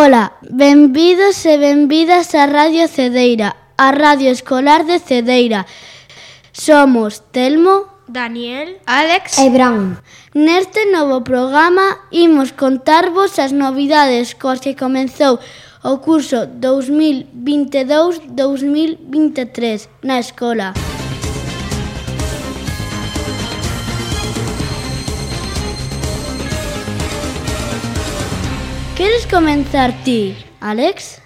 Ola, benvidos e benvidas a Radio Cedeira, a Radio Escolar de Cedeira. Somos Telmo, Daniel, Alex e Bran. Neste novo programa imos contarvos as novidades cos que comezou o curso 2022-2023 na escola. Queres comenzar ti, Alex?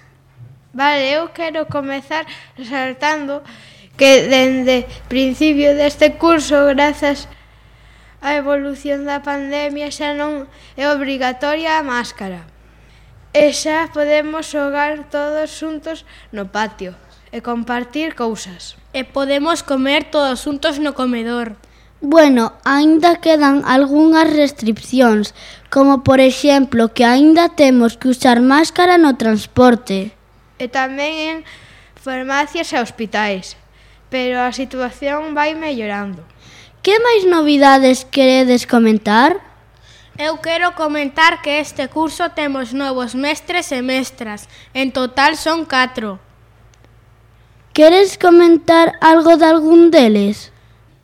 Vale, eu quero comezar resaltando que dende principio deste curso, grazas á evolución da pandemia, xa non é obrigatoria a máscara. E xa podemos xogar todos xuntos no patio e compartir cousas. E podemos comer todos xuntos no comedor. Bueno, aínda quedan algunhas restriccións, como por exemplo que aínda temos que usar máscara no transporte. E tamén en farmacias e hospitais, pero a situación vai mellorando. Que máis novidades queredes comentar? Eu quero comentar que este curso temos novos mestres e mestras. En total son 4. Queres comentar algo de algún deles?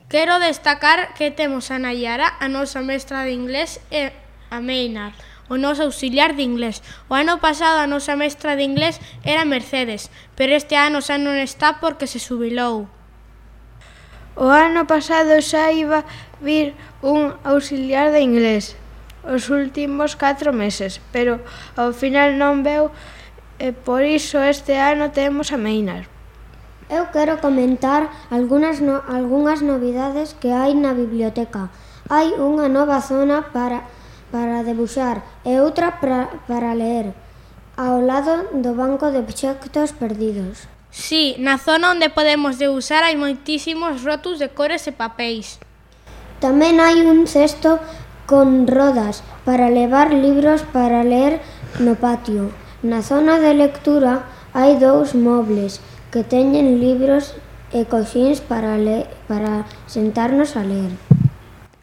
Quero destacar que temos a Nayara, a nosa mestra de inglés, e a Meinar, o noso auxiliar de inglés. O ano pasado a nosa mestra de inglés era Mercedes, pero este ano xa non está porque se xubilou. O ano pasado xa iba vir un auxiliar de inglés os últimos 4 meses, pero ao final non veu e por iso este ano temos a Meinar. Eu quero comentar algunhas novidades que hai na biblioteca. Hai unha nova zona para debuxar e outra para ler, ao lado do banco de obxectos perdidos. Sí, na zona onde podemos debuxar hai moitísimos rótulos de cores e papéis. Tamén hai un cesto con rodas para levar libros para ler no patio. Na zona de lectura hai 2 mobles que teñen libros e coxíns para sentarnos a ler.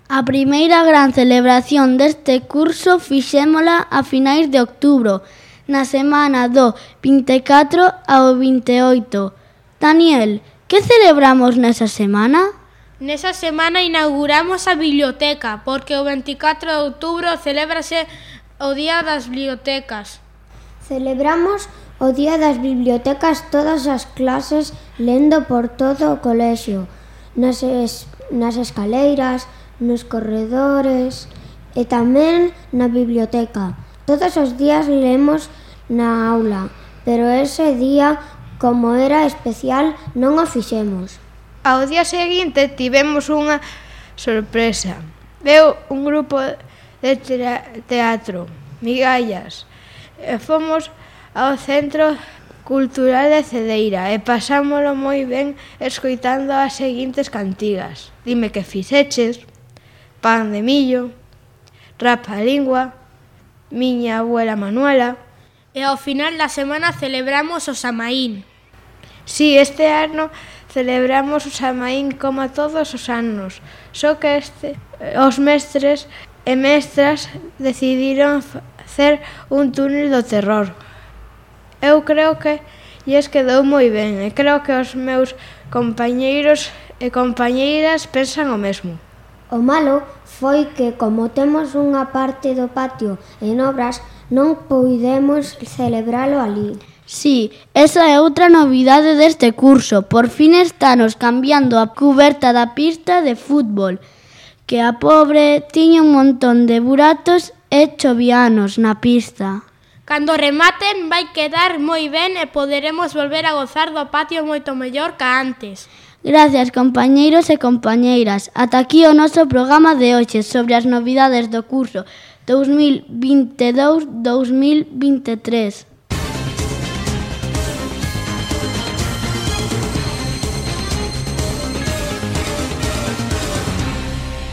A primeira gran celebración deste curso fixémola a finais de outubro, na semana do 24 ao 28. Daniel, que celebramos nesa semana? Nesa semana inauguramos a biblioteca, porque o 24 de outubro celébrase o Día das Bibliotecas. Celebramos o Día das Bibliotecas todas as clases lendo por todo o colexio, nas escaleiras, nos corredores e tamén na biblioteca. Todos os días lemos na aula, pero ese día, como era especial, non o fixemos. Ao día seguinte tivemos unha sorpresa. Veu un grupo de teatro, Migallas, e fomos ao Centro Cultural de Cedeira e pasámolo moi ben escoitando as seguintes cantigas. Dime que fixeches, Pan de millo, Rapalingua, Miña abuela Manuela. E ao final da semana celebramos o Samaín. Si, este ano celebramos o Samaín como todos os anos, só que os mestres e mestras decidiron facer un túnel do terror. Eu creo que lles quedou moi ben e creo que os meus compañeiros e compañeiras pensan o mesmo. O malo foi que, como temos unha parte do patio en obras, non puidemos celebralo ali. Sí, esa é outra novidade deste curso. Por fin estanos cambiando a cuberta da pista de fútbol, que a pobre tiña un montón de buratos e chovianos na pista. Cando rematen vai quedar moi ben e poderemos volver a gozar do patio moito mellor que antes. Gracias, compañeiros e compañeiras. Ata aquí o noso programa de hoxe sobre as novidades do curso 2022-2023.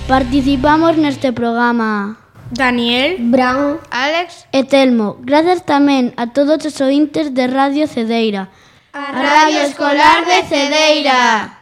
Participamos neste programa Daniel, Bran, Alex e Telmo. Gracias tamén a todos os ointes de Radio Cedeira. A Radio Escolar de Cedeira.